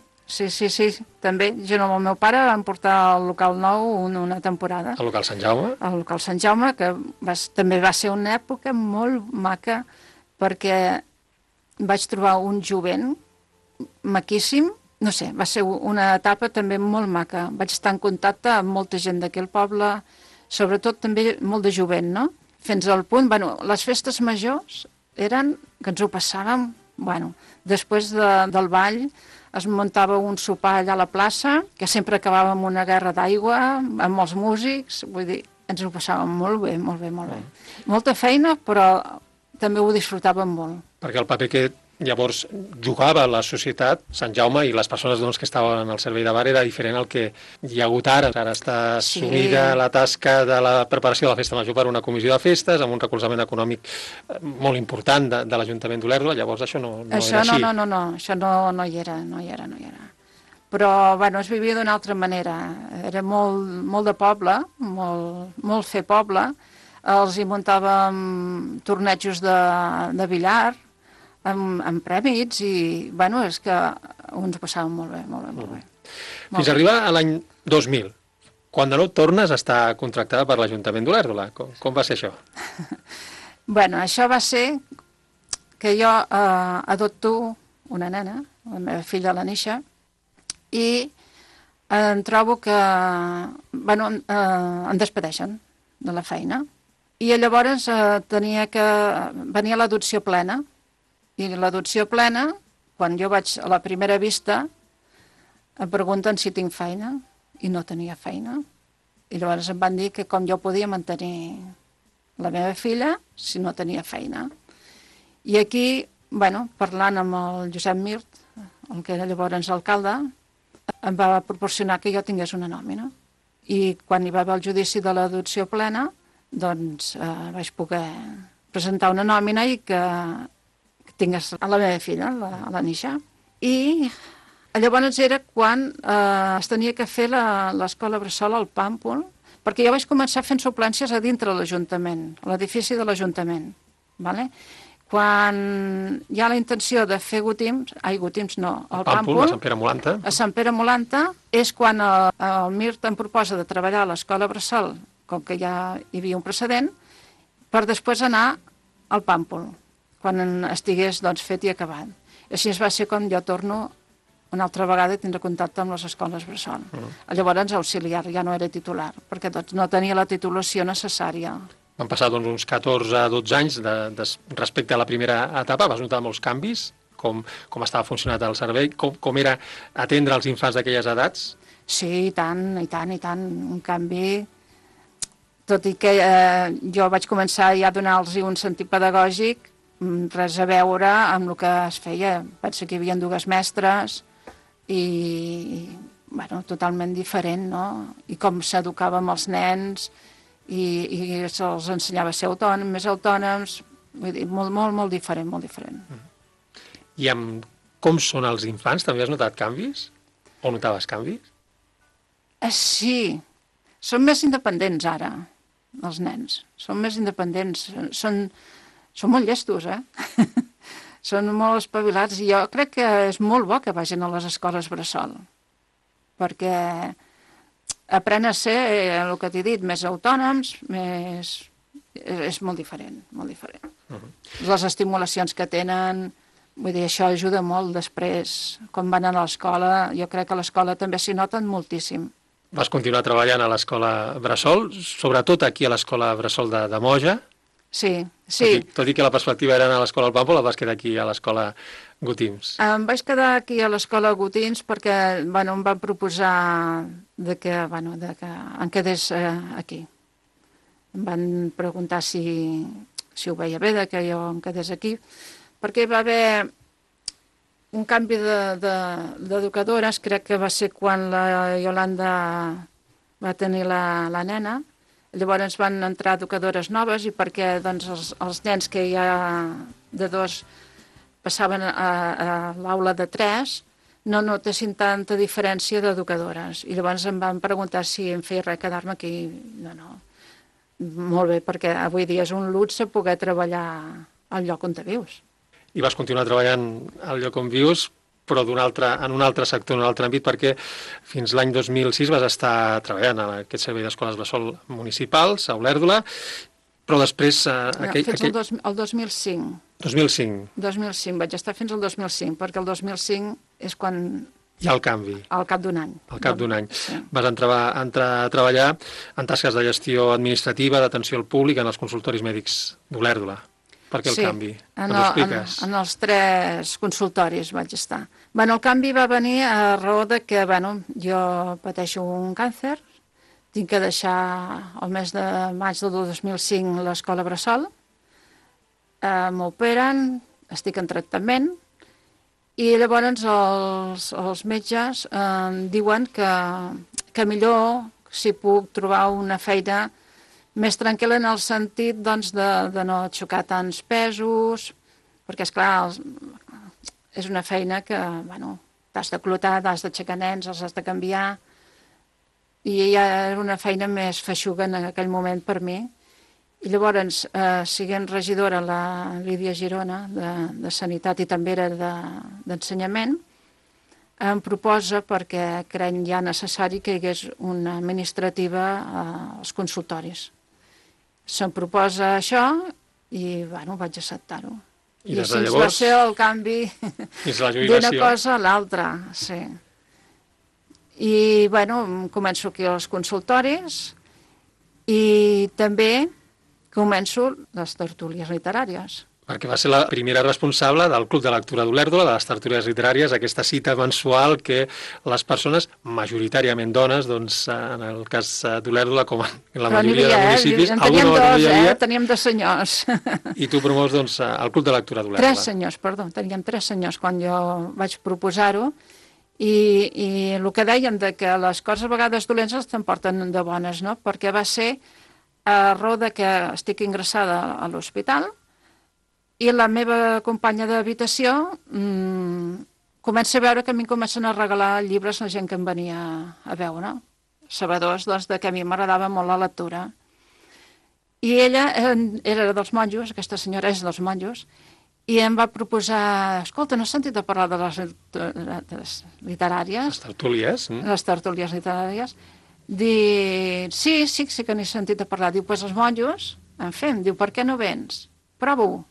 també. Jo amb el meu pare vam portar al local nou una temporada. Al local Sant Jaume? Al local Sant Jaume, que també va ser una època molt maca perquè vaig trobar un jovent maquíssim, no sé, va ser una etapa també molt maca. Vaig estar en contacte amb molta gent d'aquí al poble, sobretot també molt de jovent, no? Fins al punt, les festes majors eren que ens ho passàvem, després del ball es muntava un sopar allà a la plaça, que sempre acabava amb una guerra d'aigua, amb els músics, vull dir, ens ho passàvem molt bé, molt bé, molt bé. Molta feina, però també ho disfrutàvem molt. Perquè el paper que llavors jugava la societat, Sant Jaume i les persones que estaven al servei de bar era diferent al que hi ha hagut ara. Ara està assumida la tasca de la preparació de la festa major per una comissió de festes, amb un recolzament econòmic molt important de l'Ajuntament d'Olèrdola, llavors això no era així. No, això no hi era. Però, es vivia d'una altra manera. Era molt de poble, molt fer poble. Els hi muntàvem tornejos de billar, amb prèmits i, és que ens ho passàvem molt bé, molt bé. Fins a arribar a l'any 2000, quan de nou tornes a estar contractada per l'Ajuntament d'Olèrdola. Com va ser això? Això va ser que jo adopto una nena, la meva filla, la Nisha, i em trobo que, em despedeixen de la feina. I llavors venia l'adopció plena. I l'adopció plena, quan jo vaig a la primera vista, em pregunten si tinc feina, i no tenia feina. I llavors em van dir que com jo podia mantenir la meva filla si no tenia feina. I aquí, parlant amb el Josep Mirt, el que era llavors alcalde, em va proporcionar que jo tingués una nòmina. I quan hi va haver el judici de l'adopció plena, vaig poder presentar una nòmina i que tingués a la meva filla, a la Nisha. I llavors era quan es tenia que fer l'escola bressol al Pàmpol, perquè jo vaig començar fent suplències a dintre de l'Ajuntament, a l'edifici de l'Ajuntament. Quan hi ha la intenció de fer Gotims, el Pàmpol, a Sant Pere Molanta. A Sant Pere Molanta és quan el MIRT em proposa de treballar a l'escola bressol, com que ja hi havia un precedent, per després anar al Pàmpol, quan estigués fet i acabat. Així va ser quan jo torno una altra vegada a tindre contacte amb les escoles bressol. Llavors auxiliar, ja no era titular, perquè no tenia la titulació necessària. Van passar uns 14-12 anys respecte a la primera etapa. Vas notar molts canvis? Com estava funcionant el servei? Com era atendre els infants d'aquelles edats? Sí, i tant. Un canvi. Tot i que jo vaig començar ja a donar-los un sentit pedagògic, res a veure amb el que es feia. Penso que hi havia 2 mestres i, totalment diferent, no? I com s'educava amb els nens i se'ls ensenyava a ser més autònoms, vull dir, molt diferent, molt diferent. I amb com són els infants, també has notat canvis? O notaves canvis? Sí, són més independents ara, els nens. Són més independents, són molt llestos, Són molt espavilats i jo crec que és molt bo que vagin a les escoles bressol, perquè aprenen a ser, el que t'he dit, més autònoms, és molt diferent, molt diferent. Les estimulacions que tenen, vull dir, això ajuda molt després, quan van a l'escola, jo crec que a l'escola també s'hi noten moltíssim. Vas continuar treballant a l'escola bressol, sobretot aquí a l'escola bressol de Moja. Sí. Tot i que la perspectiva era anar a l'escola al Pàmpol, vas quedar aquí a l'escola Gotims. Em vaig quedar aquí a l'escola Gotims perquè em van proposar que em quedés aquí. Em van preguntar si ho veia bé que jo em quedés aquí, perquè va haver un canvi d'educadores, crec que va ser quan la Iolanda va tenir la nena. Llavors van entrar educadores noves i perquè els nens que ja de 2 passaven a l'aula de 3 no notessin tanta diferència d'educadores. I llavors em van preguntar si em feia res quedar-me aquí. No. Molt bé, perquè avui dia és un luxe poder treballar al lloc on te vius. I vas continuar treballant al lloc on vius, però en un altre sector, en un altre àmbit, perquè fins l'any 2006 vas estar treballant a aquest servei d'escoles bressol municipals, a Olèrdola, però després... Fins al 2005. 2005. 2005, vaig estar fins al 2005, perquè el 2005 és quan... Hi ha el canvi. Al cap d'un any. Al cap d'un any. Sí. Vas entrar a treballar en tasques de gestió administrativa, d'atenció al públic, en els consultoris mèdics d'Olèrdola. Per què el canvi? Ens ho expliques? En els 3 consultoris vaig estar. El canvi va venir a raó de que jo pateixo un càncer, tinc que deixar el mes de maig del 2005 l'escola bressol, m'operen, estic en tractament, i llavors els metges diuen que millor si puc trobar una feina més tranquil·la en el sentit de no xocar tants pesos, perquè, esclar, és una feina que t'has de clotar, t'has d'aixecar nens, els has de canviar, i ja era una feina més feixuga en aquell moment per mi. I llavors, siguent regidora la Lídia Girona, de Sanitat, i també era d'Ensenyament, em proposa, perquè crec ja necessari que hi hagués una administrativa als consultoris. Se'm proposa això i, vaig acceptar-ho. I així va ser el canvi d'una cosa a l'altra, sí. I, començo aquí als consultoris i també començo les tertúlies literàries. Perquè va ser la primera responsable del Club de Lectura d'Olèrdola, de les tertúlies literàries, aquesta cita mensual que les persones, majoritàriament dones, en el cas d'Olèrdola, com en la majoria de municipis... En teníem dos, teníem 2 senyors. I tu promous, el Club de Lectura d'Olèrdola. 3 senyors, perdó, teníem 3 senyors quan jo vaig proposar-ho, i el que deien que les coses a vegades dolents t'emporten de bones, no? Perquè va ser a raó de que estic ingressada a l'hospital, I la meva companya d'habitació comença a veure que a mi em comencen a regalar llibres la gent que em venia a veure, sabedors de que a mi m'agradava molt la lectura. I ella era dels monjos, aquesta senyora és dels monjos, i em va proposar, escolta, no has sentit a parlar de les literàries? Les tertúlies. Les tertúlies literàries. Diu, sí que n'he sentit a parlar. Diu, doncs els monjos en fem. Diu, per què no vens? Prova-ho.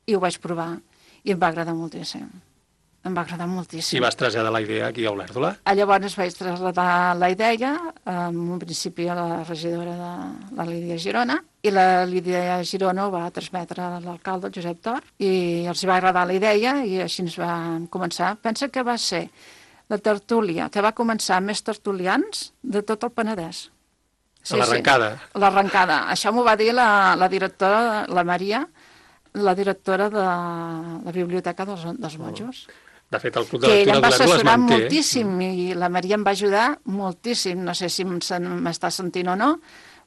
I ho vaig provar. I em va agradar moltíssim. Em va agradar moltíssim. I vas traslladar la idea aquí a Olèrdola? Llavors vaig traslladar la idea, en un principi a la regidora de la Lídia Girona, i la Lídia Girona ho va transmetre a l'alcalde, el Josep Tor, i els va agradar la idea i així ens vam començar. Pensa que va ser la tertúlia que va començar amb més tertulians de tot el Penedès. Sí, l'arrencada. Sí, l'arrencada. Això m'ho va dir la directora, la Maria, la directora de la Biblioteca dels Monjos. De fet, el Club de Lectura d'Olèrdola es manté. Ella em va assessorar moltíssim i la Maria em va ajudar moltíssim. No sé si m'està sentint o no,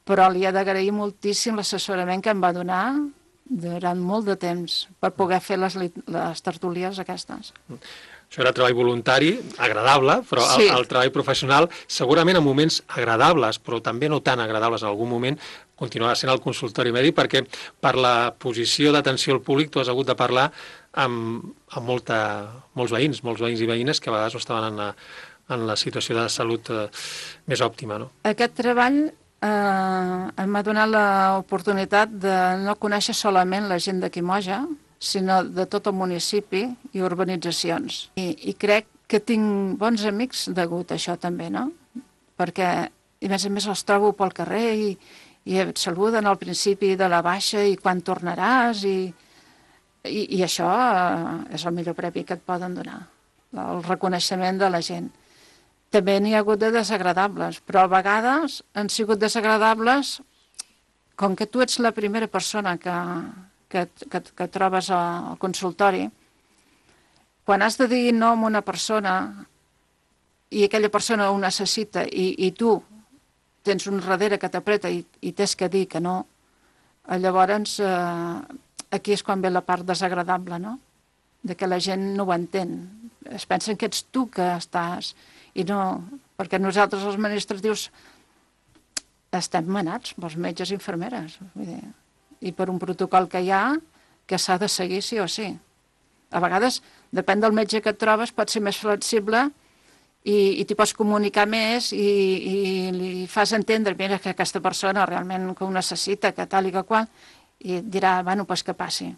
però li he d'agrair moltíssim l'assessorament que em va donar durant molt de temps per poder fer les tertúlies aquestes. Això era treball voluntari, agradable, però sí. El treball professional, segurament en moments agradables, però també no tan agradables en algun moment, continuarà sent el consultori mèdic, perquè per la posició d'atenció al públic tu has hagut de parlar amb molts veïns i veïnes que a vegades no estaven en la situació de salut més òptima. No? Aquest treball em va donar l'oportunitat de no conèixer solament la gent de Quimoja, sinó de tot el municipi i urbanitzacions. I crec que tinc bons amics degut a això també, no? Perquè, a més els trobo pel carrer i et saluden al principi de la baixa i quan tornaràs i això és el millor premi que et poden donar, el reconeixement de la gent. També n'hi ha hagut de desagradables, però a vegades han sigut desagradables com que tu ets la primera persona que trobes al consultori. Quan has de dir no a una persona i aquella persona ho necessita i tu tens un darrere que t'apreta i tens que dir que no, llavors aquí és quan ve la part desagradable, no? De que la gent no ho entén. Es pensen que ets tu que estàs i no, perquè nosaltres els administratius estem manats pels metges i infermeres, vull dir, i per un protocol que hi ha que s'ha de seguir sí o sí. A vegades, depèn del metge que et trobes, pot ser més flexible i t'hi pots comunicar més i li fas entendre, mira, que aquesta persona realment que ho necessita, que tal i que qual, i et dirà, bueno, doncs que passi.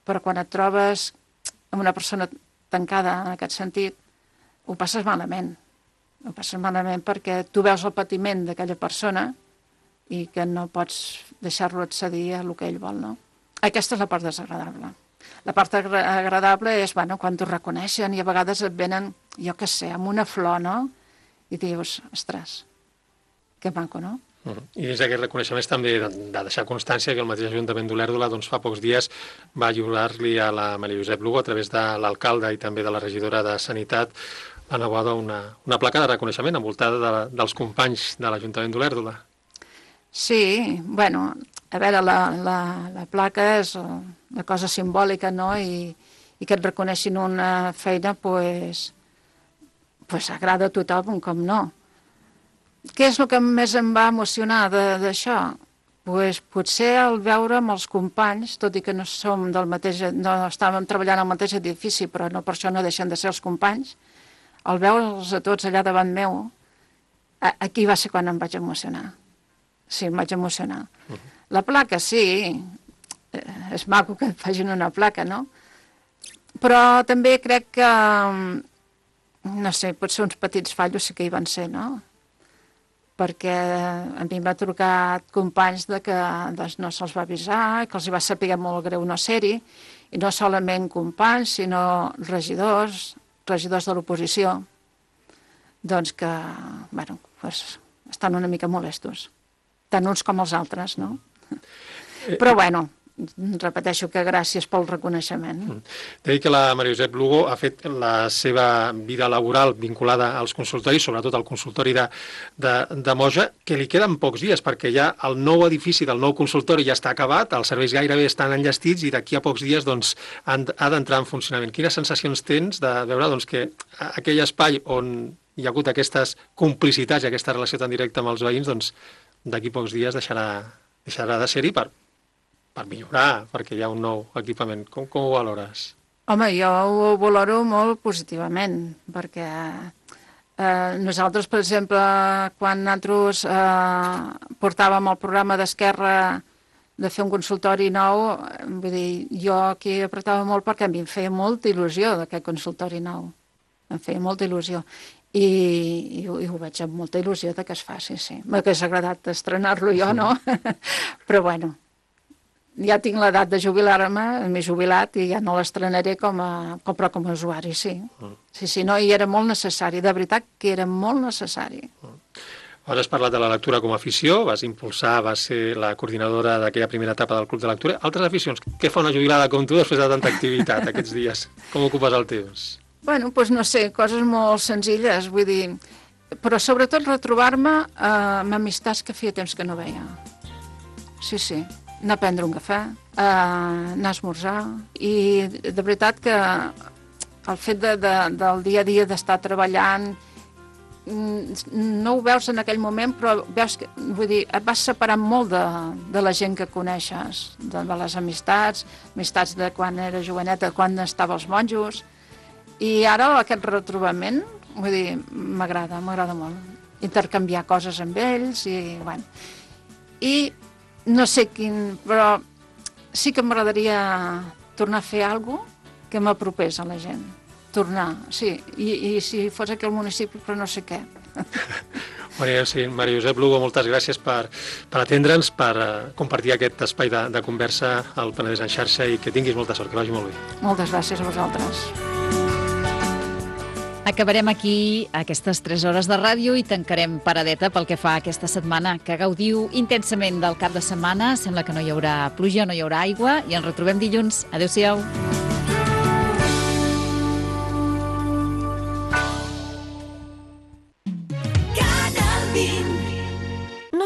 Però quan et trobes amb una persona tancada en aquest sentit, ho passes malament. Ho passes malament perquè tu veus el patiment d'aquella persona i que no pots deixar-lo accedir a el que ell vol, no? Aquesta és la part desagradable. La part agradable és, bueno, quan t'ho reconeixen i a vegades et venen, jo què sé, amb una flor, no? I dius, ostres, que maco, no? I dins d'aquest reconeixement també de deixar constància que el mateix Ajuntament d'Olèrdola doncs, fa pocs dies va lliurar-li a la Maria Josep Lugo, a través de l'alcalde i també de la regidora de Sanitat, la Naboada, una placa de reconeixement envoltada dels companys de l'Ajuntament d'Olèrdola. Sí, bueno, a veure, la placa és una cosa simbòlica, no? I que et reconeixin una feina, pues agrada a tothom, com no. Què és el que més em va emocionar d'això? Pues potser el veure amb els companys, tot i que no som del mateix, no estàvem treballant al mateix edifici, però no per això no deixen de ser els companys, el veure'ls a tots allà davant meu, aquí va ser quan em vaig emocionar. Sí, em vaig emocionar. La placa, sí, és maco que facin una placa, no? Però també crec que, no sé, potser uns petits fallos sí que hi van ser, no? Perquè a mi m'ha trucat companys que no se'ls va avisar, que els hi va saber molt greu no ser-hi, i no solament companys, sinó regidors de l'oposició, doncs que, bueno, estan una mica molestos, tant uns com els altres, no? Però, bueno, repeteixo que gràcies pel reconeixement. T'he dit que la Maria Josep Lugo ha fet la seva vida laboral vinculada als consultoris, sobretot al consultori de Moja, que li queden pocs dies, perquè ja el nou edifici del nou consultori ja està acabat, els serveis gairebé estan enllestits i d'aquí a pocs dies doncs, ha d'entrar en funcionament. Quines sensacions tens de veure doncs, que aquell espai on hi ha hagut aquestes complicitats i aquesta relació tan directa amb els veïns, doncs d'aquí a pocs dies deixarà de ser-hi per millorar, perquè hi ha un nou equipament. Com ho valores? Home, jo ho valoro molt positivament, perquè nosaltres, per exemple, quan nosaltres portàvem el programa d'Esquerra de fer un consultori nou, vull dir, jo aquí apretava molt perquè a mi em feia molta il·lusió d'aquest consultori nou. Em feia molta il·lusió. I ho veig amb molta il·lusió que es faci, sí. M'hagués agradat estrenar-lo jo, no? Però bueno, ja tinc l'edat de jubilar-me, m'he jubilat i ja no l'estrenaré com a usuari, sí. Sí, no, i era molt necessari, de veritat que era molt necessari. Has parlat de la lectura com a afició, vas ser la coordinadora d'aquella primera etapa del Club de Lectura. Altres aficions, què fa una jubilada com tu després de tanta activitat aquests dies? Com ocupes el temps? Bueno, doncs no sé, coses molt senzilles, vull dir, però sobretot retrobar-me amb amistats que feia temps que no veia. Sí, anar a prendre un cafè, anar a esmorzar, i de veritat que el fet del dia a dia d'estar treballant, no ho veus en aquell moment, però veus que, vull dir, et vas separant molt de la gent que coneixes, de les amistats de quan era joveneta, quan estava als monjos. I ara aquest retrobament, vull dir, m'agrada molt. Intercanviar coses amb ells i, bueno. I no sé quin, però sí que m'agradaria tornar a fer alguna cosa que m'apropés a la gent. Tornar, sí. I si fos aquí al municipi, però no sé què. Maria Josep Lugo, moltes gràcies per atendre'ns, per compartir aquest espai de conversa al Penedès en xarxa i que tinguis molta sort, que vagi molt bé. Moltes gràcies a vosaltres. Acabarem aquí aquestes 3 hores de ràdio i tancarem paradeta pel que fa a aquesta setmana, que gaudiu intensament del cap de setmana. Sembla que no hi haurà pluja, no hi haurà aigua i ens retrobem dilluns. Adéu-siau. Canal 20.